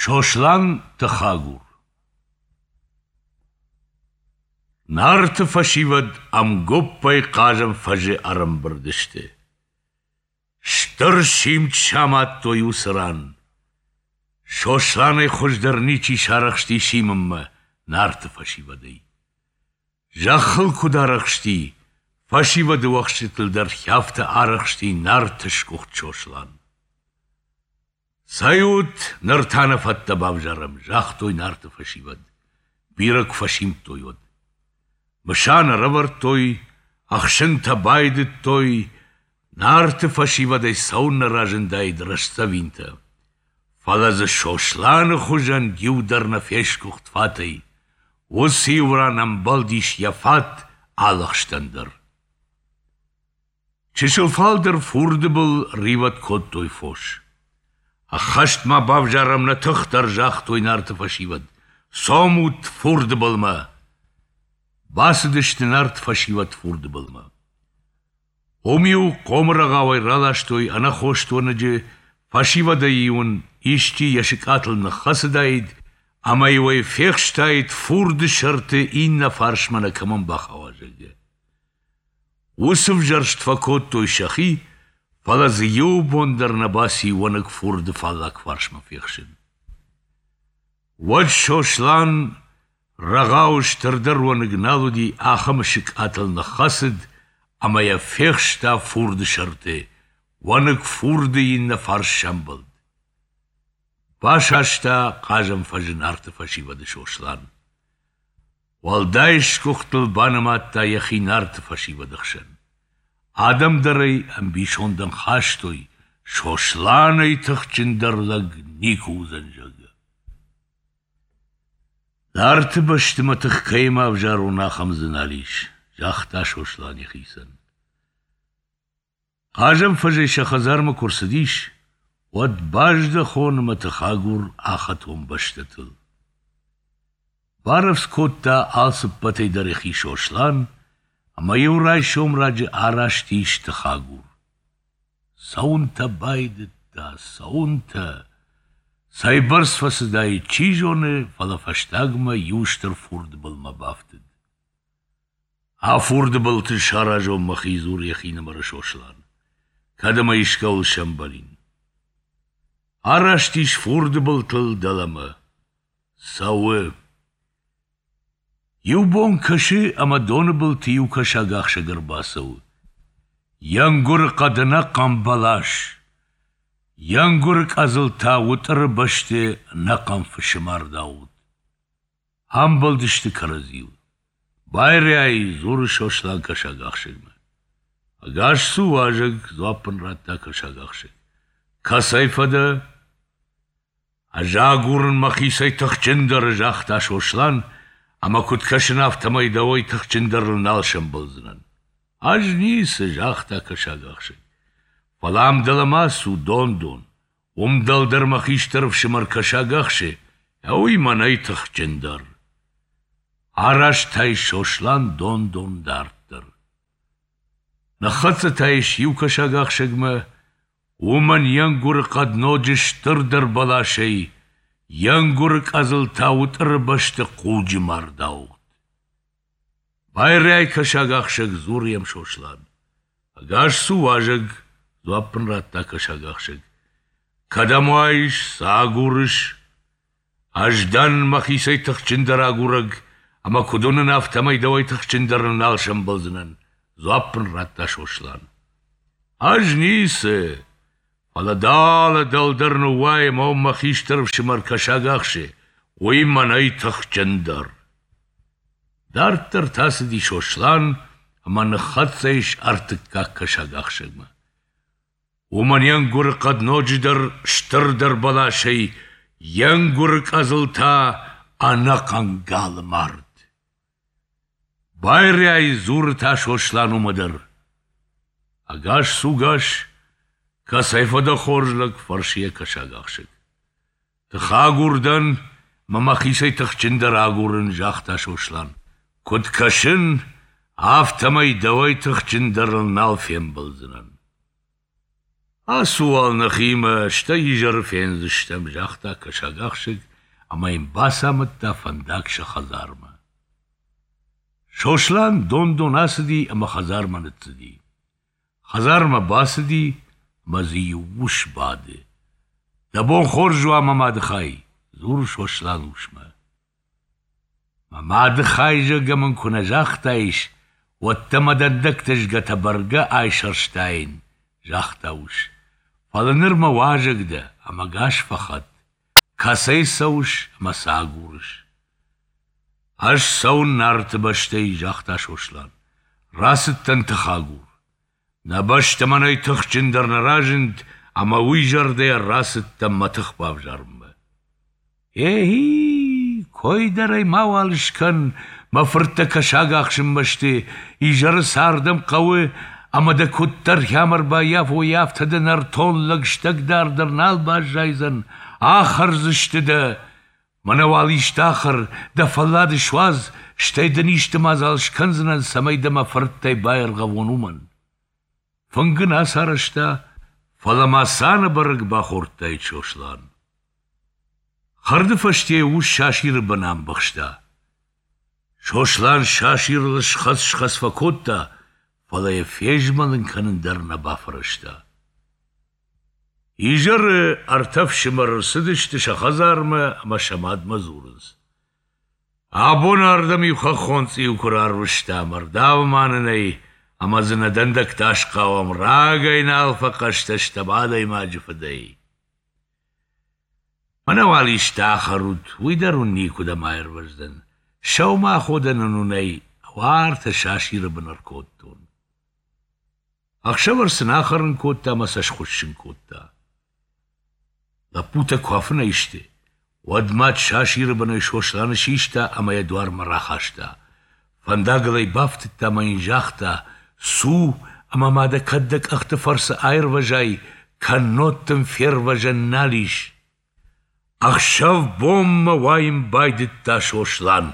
Сослан тыхагур. Нарты фӕсивӕд ӕмгуыппӕй хъазӕн фӕзы ӕрӕмбырд сты. Стыр симд самадтой уыцы ран. Сосланӕй хуыздӕр ничи сарӕхсти симынмӕ Нарты фӕсивӕдӕй. Зӕххыл куыд арӕхсти, фӕсивӕды уӕхсчытыл дӕр афтӕ арӕхсти Нарты сгуыхт Сослан. Цӕйут, ныр та нӕ фӕттӕ бавзарӕм, загътой Нарты фӕсивӕд, бирӕ куы фӕсимдтой, уӕд. Мысан ӕрӕвӕрдтой, ӕхсынтӕ байдыдтой, Нарты фӕсивӕдӕй цӕуыннӕ разындаид рӕстдзӕвинтӕ. Фӕлӕ дзы Сосланы хуызӕн иу дӕр нӕ фесгуыхт фатӕй, уыцы иу ран ӕмбӕлдис йӕ фат алы ӕхстӕн дӕр. Чысыл фалдӕр фурды был ривӕд кодтой фос. Ӕххӕст ма бавзарӕм нӕ тых дӕр, загътой Нарты фӕсивӕд. Цомут фурды былмӕ! Бацыдысты Нарты фӕсивӕд фурды былмӕ. Уым-иу хъомрӕгъауӕй раластой ӕнӕхост уӕныджы, фӕсивӕдӕй-иу ын исчи йӕ сыкъатыл ныххӕцыдаид ӕмӕ-иу ӕй фехстаид фурды сӕрты иннӕ фарсмӕ нӕ кӕмӕн бахауа, зӕгъгӕ. Уыцы взӕрст фӕкодтой сӕхи, фӕлӕ дзы иу бон дӕр нӕ баци уӕныг фурды фаллаг фарсмӕ фехсын. Уӕд Сослан рӕгъауы стырдӕр уӕныг нал уыди, ахӕм сыкъатыл ныххӕцыд ӕмӕ йӕ фехста фурды сӕрты, уӕныг фурды иннӕ фарс сӕмбӕлд. Басаста хъазӕн фӕзы Нарты фӕсивӕды Сослан. Уӕлдай сгуыхтыл банымадта йӕхи Нарты фӕсивӕды хсӕн. Адӕм дӕр ӕй ӕмбисондӕн хастой, Сосланӕй тыхджындӕр лӕг никуы уыдзӕн, зӕгъгӕ. Нарты бӕсты мӕ тых кӕимӕ ӕвзарон, ахӕм дзы нал ис, загъта Сослан йӕхицӕн. Хъазӕн фӕзӕй сӕ хӕдзармӕ куы рцыдис, уӕд баздӕхон ӕмӕ тыхагур ахӕтон бӕстӕтыл. Барӕвдз кодта алцыппӕтӕй дӕр йӕхи Сослан ӕмӕ иу райсом раджы араст ис тыхагур. Цӕуынтӕ байдыдта, цӕуынтӕ. Цӕйбӕрц фӕцыдаид, чи зоны, фӕлӕ фӕстагмӕ иу стыр фурды былмӕ бафтыд. А фурды былты саразон мӕхи, дзуры йӕхинымӕры Сослан, кӕд ӕмӕ искӕуыл сӕмбӕлин. Араст ис фурды былтыл дӕлӕмӕ. Цӕуы. Иу бон кӕсы, ӕмӕ доны былты иу кӕсагахсӕг ӕрбацӕуы. Йе нгуыры хъӕд ӕнӕхъӕн бӕлас. Йе нгуыры къӕдзыл та уытъыры бӕсты ӕнӕхъӕн фысы мард ауыгъд. Амбӕлдысты кӕрӕдзийыл. «Байриай!» — дзуры Сослан кӕсагахсӕгмӕ. «Ӕгас цу, уазӕг!» — дзуапп ын радта кӕсагахсӕг. «Кӕцӕй фӕдӕ?» «Ӕз агурын мӕхицӕй тыхджындӕры», — загъта Сослан, «ӕмӕ куыд кӕсын, афтӕмӕй дӕуӕй тыхджындӕрыл нал сӕмбӕлдзынӕн». «Ӕз ницы», — загъта кӕсагахсӕг. «Фӕлӕ ам дӕлӕмӕ ацу, дон-дон. Уым дӕлдӕр мӕ хистӕр ӕфсымӕр кӕсаг ахсы, уый мӕнӕй тыхджындӕр. Араст та ис Сослан дон-дон дарддӕр. Ныххӕццӕ та ис иу кӕсагахсӕгмӕ, уымӕн йе нгуыры хъӕд ноджы стырдӕр бӕласӕй, йе нгуыры къӕдзыл та уытъыры бӕсты хъуджы мард ауыгъд. Байрай, кӕсагахсӕг, дзуры йӕм Сослан. Ӕгас цу, уазӕг, дзуапп ын радта кӕсагахсӕг. Кӕдӕм уаис, цы агурыс? Ӕз дӕн мӕхицӕй тыхджындӕр агурӕг, ӕмӕ куыд уынын, афтӕмӕй дӕуӕй тыхджындӕрыл нал сӕмбӕлдзынӕн, дзуапп ын радта Сослан. Ӕз ницы, фӕлӕ далӕ дӕлдӕр ныууай ӕмӕ уым мӕ хистӕр ӕфсымӕр кӕсаг ахсы, уый мӕнӕй тыхджындӕр. Дарддӕр та цыди Сослан ӕмӕ ныххӕццӕ ис ӕртыккаг кӕсагахсӕгмӕ. Уымӕн йе нгуыры хъӕд ноджыдӕр стырдӕр бӕласӕй, йе нгуыры къӕдзыл та ӕнӕхъӕн галы мард. Байриай, дзуры та Сослан уымӕ дӕр. Ӕгас цу гас, кӕцӕй фӕдӕ хорз лӕг, фӕрсы йӕ кӕсагахсӕг. Тыхагур дӕн мӕ мӕхицӕй тыхджындӕр агурын, загъта Сослан. Куыд кӕсын, афтӕмӕй дӕуӕй тыхджындӕрыл нал фембӕлдзынӕн. Ацу уал нӕхимӕ, стӕй изӕры фендзыстӕм, загъта кӕсагахсӕг ӕмӕ йын бацамыдта фӕндаг сӕ хӕдзармӕ. Сослан дон-дон ацыди ӕмӕ хӕдзармӕ ныццыди. Хӕдзармӕ бацыди ӕмӕ дзы иу ус бады. Дӕ бон хорз уа, мӕ мады хай, дзуры Сослан усмӕ. Мӕ мады хай, зӕгъгӕ мын куы нӕ загътаис, уӕд дӕ мӕ дӕндӕгтӕ згӕтӕ бӕргӕ айсӕрстаин, загъта ус. Фӕлӕ ныр мӕ уазӕг дӕ ӕмӕ гас фӕхӕт. Кӕцӕй цӕуыс ӕмӕ цы агурыс? Ӕз цӕуын Нарты бӕстӕй, загъта Сослан. Рацыдтӕн тыхагур. Нӕ бӕстӕ мӕнӕй тыхджындӕр нӕ разынд, ӕмӕ уый зӕрдӕйӕ рацыдтӕн мӕ тых бавзарынмӕ. Ехи, кой дӕр ӕй мауал скӕн, мӕ фырттӕ кӕсаг ахсынмӕ сты, изӕры сӕ ардӕм хъӕуы, ӕмӕ дӕ куыддӕр хӕм ӕрбаййафой, афтӕ дӕ нӕртон лӕг стӕгдар дӕр нал баззайдзӕн, ахӕрдзысты дӕ. Мӕнӕ уал исты ахӕр, дӕ фӕллад суадз, стӕй дын исты мадзал скӕндзынӕн, цӕмӕй дӕ мӕ фырттӕй баиргъӕвон, уымӕн. Фынг ын ацарӕзта, фӕлӕ ма цанӕбӕрӕг бахордтаид Сослан. Хӕрды фӕсте ус сасиры бын амбӕхста. Сослан сасирыл схӕц-схӕц фӕкодта, фӕлӕ йӕ фезмӕлын кӕнын дӕр нӕ бафӕрӕзта. Изӕры ӕртӕ фсымӕры рцыдысты сӕ хӕдзармӕ ӕмӕ сӕ мадмӕ дзурынц: «Абон ардӕм иу хӕххон цъиу куы рарвыстам, ӕрдавма нын ӕй, ӕмӕ дзы нӕ дӕндӕгтӕ асхъауӕм, рагӕй нал фӕхъӕстӕ стӕм адӕймаджы фыдӕй». Мӕнӕ уал исты ахӕрут, уый дӕр уын никуыдӕм аирвӕздзӕн. Сӕумӕаходӕнӕн уын ӕй уартӕ сасиры бын ӕркодтон. Ӕхсӕвӕр сын ахӕрын кодта ӕмӕ сӕ схуыссын кодта. Лӕппутӕ куы афынӕй сты, уӕд мад сасиры бынӕй Сосланы систа ӕмӕ йӕ дуармӕ рахаста. Фӕндагыл ӕй бафтыдта ӕмӕ йын загъта: «Цу ӕмӕ ма дӕ кӕд дӕ къӕхты фӕрцы аирвӕзай, кӕннод дын фервӕзӕн нал ис». Ӕхсӕв-бонмӕ уайын байдыдта Сослан.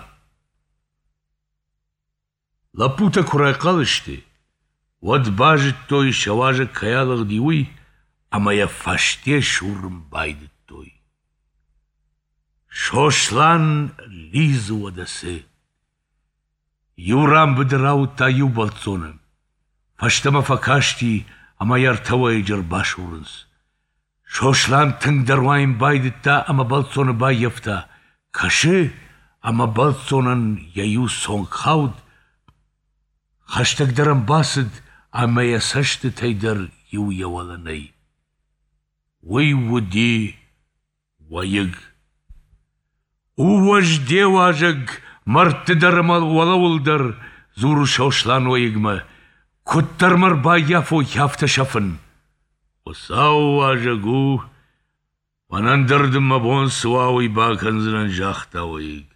Лӕппутӕ куы райхъал сты, уӕд базыдтой, сӕ уазӕг кӕй алыгъди, уый, ӕмӕ йӕ фӕсте сурын байдыдтой. Сослан лидзы уӕдӕ цы! Иу ран быдыр ауыдта иу бӕлццоны. Фӕстӕмӕ фӕкасти ӕмӕ йӕ ӕртӕ уӕйыджы ӕрбасурынц. Сослан тынгдӕр уайын байдыдта ӕмӕ бӕлццоны баййӕфта. Кӕсы, ӕмӕ бӕлццонӕн йӕ иу цонг хауд, хӕстӕгдӕр ӕм бацыд ӕмӕ йӕ цӕстытӕй дӕр иу йӕ уӕлӕ нӕй. Уый уыди уӕйыг. У уӕз де уазӕг, мӕрдты дӕр ӕмӕ уӕлӕуыл дӕр, дзуры Сослан уӕйыгмӕ, куыддӕр мӕ ӕрбаййафой, афтӕ сӕфын. Хуыцауы уазӕг у, мӕнӕн дӕр дын мӕ бон цы уа, уый бакӕндзынӕн, загъта уӕйыг.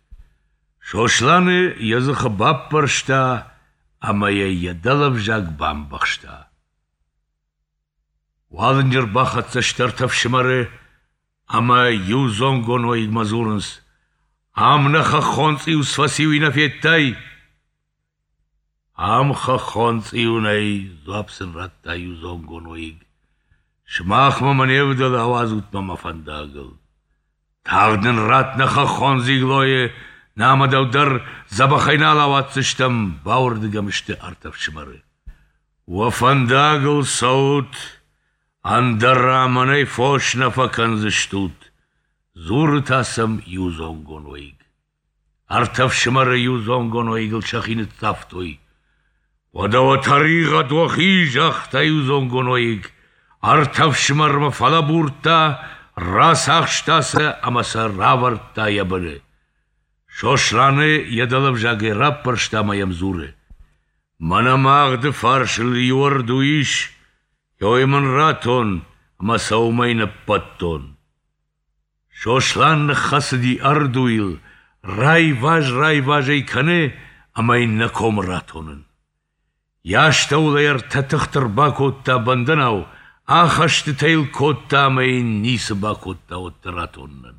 Сосланы йӕ дзыхы баппӕрста ӕмӕ йӕ йӕ дӕлӕвзаг бамбӕхста. Уалынджы ӕрбахӕццӕ сты ӕртӕ фсымӕры ӕмӕ иудзонгон уӕйыгмӕ дзурынц: «Ам нӕ хӕххон цъиу цы фӕци, уый нӕ федтай?» «Ам хӕххон цъиу нӕй», — дзуапп сын радта иудзонгон уӕйыг. «Сымахмӕ мӕ не вдӕлы, ауадзут мӕ мӕ фӕндагыл. Тагъд нын ратт нӕ хӕххон дзиглойы, намӕ дӕу дӕр дзӕбӕхӕй нал ауадздзыстӕм, бауырдыг ӕм сты ӕртӕ фсымӕры. Уӕ фӕндагыл цӕут, ӕндӕра мӕнӕй фос нӕ фӕкӕндзыстут, дзуры та сӕм иудзонгон уӕйыг. Ӕртӕ фсымӕры иудзонгон уӕйыгыл сӕхи ныццавтой. Уӕдӕ уӕ тӕригъӕд уӕхи, загъта иудзонгон уӕйыг. Ӕртӕ фсымӕрмӕ фӕлӕбурдта, рацахста сӕ ӕмӕ сӕ равӕрдта йӕ быны. Сосланы йӕ дӕлӕвзагӕй раппӕрста ӕмӕ йӕм дзуры: Мӕнӕ магъды фарсыл иу ӕрду ис, ой мын ратон ӕмӕ сӕ уымӕй ныббӕттон. Сослан ныххӕцыди ӕрдуйыл, райваз-райваз ӕй кӕны ӕмӕ йын нӕ комы ратонын. Йӕ астӕуыл ӕй ӕртӕ тыхты ӕрбакодта бӕндӕнау, ахӕстытӕ йыл кодта ӕмӕ йын ницы бакодта уӕддӕр ратонынӕн.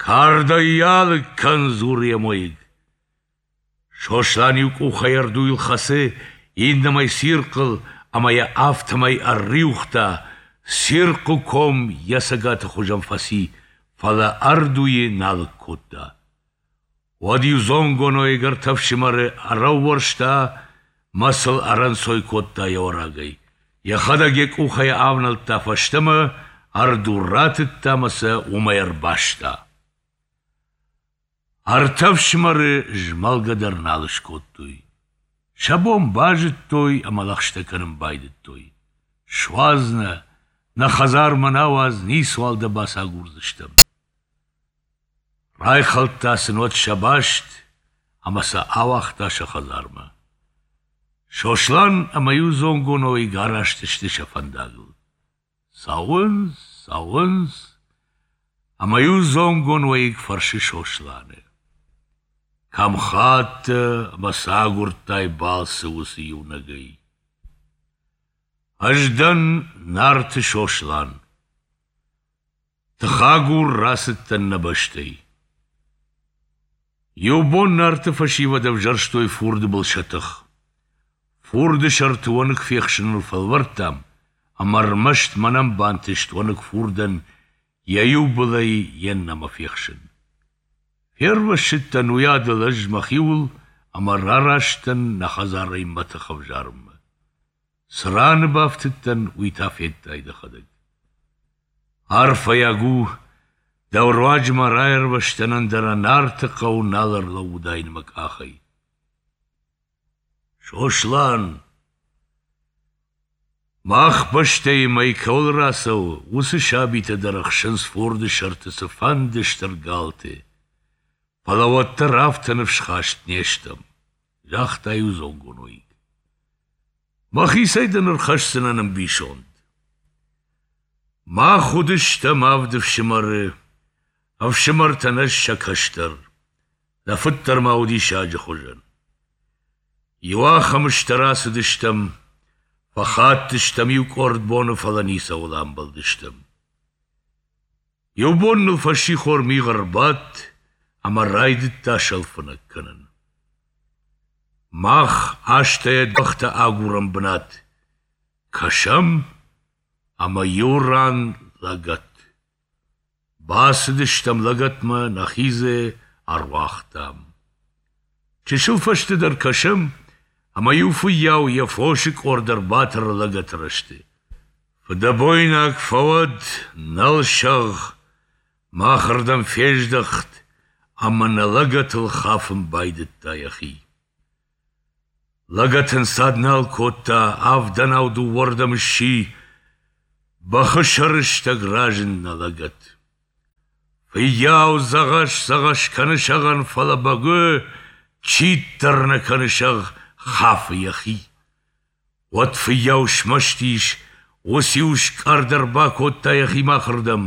Кардӕй йӕ алыг кӕн, дзуры йӕм уӕйыг. Сослан иу къухӕй ӕрдуйыл хӕцы, иннӕмӕй цирхъыл ӕмӕ йӕ афтӕмӕй ӕрриуыгъта. Цирхъы ком йӕ цӕгаты хуызӕн фӕци, фӕлӕ ӕрдуйы нӕ алыг кодта. Уӕд иудзонгоноиг ӕртӕ фсымӕры ӕрӕууӕрста мӕ сыл ӕрӕнцой кодта йӕ уӕрагӕй, йӕхӕдӕг йӕ къухӕй авнӕлдта фӕстӕмӕ, ӕрду ратыдта мӕ сӕ уымӕй ӕрбаста. Ӕртӕ фсымӕры змӕлгӕ дӕр нал скодтой. Сӕ бон базыдтой ӕмӕ лӕгъстӕ кӕнын байдыдтой: «Суадз нӕ, нӕ хӕдзармӕ нӕ ауадз, ницуал дӕ бацагурдзыстӕм». Райхӕлдта сын уӕд сӕ баст ӕмӕ сӕ ауагъта сӕ хӕдзармӕ. Сослан ӕмӕ иудзонгон уӕйыг араст сты сӕ фӕндагыл. Цӕуынц, цӕуынц, ӕмӕ иудзонгон уӕйыг фӕрсы Сосланы: Кӕм хаттӕ ӕмӕ цы агуырдтай балцы уыцы иунӕгӕй? Ӕз дӕн Нарты Сослан. Тыхагур рацыдтӕн нӕ бӕстӕй. Иу бон Нарты фӕсивӕд ӕвзӕрстой фурды был сӕ тых. Фурды сӕрты уӕныг фехсыныл фӕлвӕрдтам, ӕмӕ ӕрмӕст мӕнӕн бантыст уӕныг фурдӕн йӕ иу былӕй йе ннӕмӕ фехсын. Фервӕссыдтӕн уыйадыл ӕз мӕхиуыл ӕмӕ рараст дӕн нӕ хӕдзарӕй мӕ тых ӕвзарынмӕ. Цы раны бафтыдтӕн, уый та федтай дӕхӕдӕг. Арфӕйаг у, дӕу руаджы ма раирвӕзтӕн, ӕндӕра Нарты хъӕу нал ӕрлӕууыдаин мӕ къахӕй. Сослан! Мах бӕстӕйы мӕй кӕуыл рацӕуы, уыцы сабитӕ дӕр ӕхсынц фурды сӕрты цыфӕнды стыр галты. Фӕлӕ уӕддӕр афтӕ ныфсхаст не стӕм, загъта иудзонгон уӕйыг. Мӕхицӕй дын ӕрхӕсдзынӕн ӕмбисонд. Мах уыдыстӕм авд ӕфсымӕры, ӕфсымӕртӕн ӕз сӕ кӕстӕр. Нӕ фыд дӕр ма уыди саджы хуызӕн. Иуахӕмы стӕр ацыдыстӕм, фӕхаттыстӕм иу къорд боны, фӕлӕ ницӕуыл амбӕлдыстӕм. Иу бон ныл фӕссихор мигъ ӕрбадт ӕмӕ райдыдта сӕлфынӕг кӕнын. Мах азтӕ йӕ бӕхтӕ агурӕм бынат. Кӕсӕм, ӕмӕ иу ран лӕгӕт. Бацыдыстӕм лӕгӕтмӕ, нӕхи дзы ӕруагътам. Чысыл фӕстӕдӕр кӕсӕм, ӕмӕ иу фыййау йӕ фосы къорд ӕрбатӕры лӕгӕты рӕзты. Фыдӕбойнаг фӕуӕд, нӕл сӕгъ, махырдӕм фездӕхт ӕмӕ нӕ лӕгӕтыл хафын байдыдта йӕхи. Лӕгӕт ӕнцад нал кодта, авдӕнау дыууӕрдӕм сси, бӕхы сӕрыстӕг разынд нӕ лӕгӕт. Фыййау дзӕгъӕс-дзӕгъӕс кӕны сӕгъӕн, фӕлӕ бӕгуы читт дӕр нӕ кӕны сӕгъ, хафы йӕхи. Уӕд фыййау смӕсты ис, уыциу скъӕрд ӕрбакодта йӕхи махырдӕм,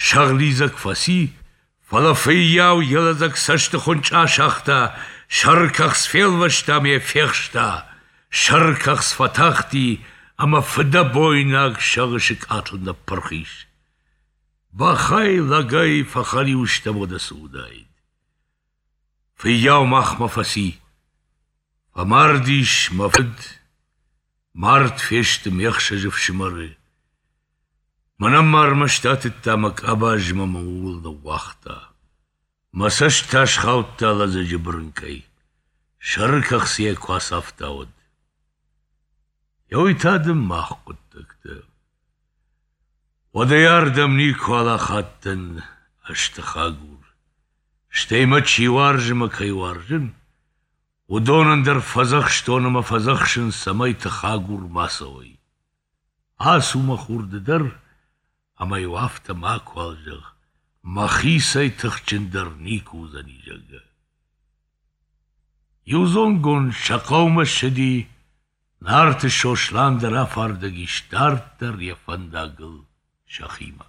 сӕгъ лидзӕг фӕци, фӕлӕ фыййау йӕ лӕдзӕг цӕсты хуынчъы асагъта, сӕрыкӕхц фелвӕста ӕмӕ йӕ фехста. Сӕрыкӕхц фӕтахти ӕмӕ фыдӕбойнаг сӕгъы сыкъатыл ныппырх ис. Бӕхӕй, лӕгӕй фӕхӕлиу стӕм уӕдӕ цы уыдаид. Фыййау махмӕ фӕци. Фӕмардис мӕ фыд, мард фесты ме хсӕз ӕфсымӕры. Мӕнӕн ма ӕрмӕст атыдта мӕ къабаз ӕмӕ мӕ ууыл ныууагъта. Мӕ цӕст та схаудта лӕдзӕджы бырынкъӕй, сӕры кӕхцы йӕ куы ацавта, уӕд. Еуый та дын мах хъуыддӕгтӕ. Уӕдӕй ардӕм никуал ахадтӕн ӕз тыхагур. Стӕй мӕ чи уарзы мӕ кӕй уарзын, уыдонӕн дӕр фӕдзӕхстон ӕмӕ фӕдзӕхсын, цӕмӕй тыхагур ма цӕуой. Ацу, мӕ хур, ды дӕр, ӕмӕ-иу афтӕ макуал зӕгъ, мӕхицӕй тыхджындӕр никуы уыдзӕни, зӕгъгӕ. Иудзонгон сӕ хъӕумӕ ссыди, Нарты Сослан дӕр афардӕг ис дарддӕр йӕ фӕндагыл сӕхимӕ.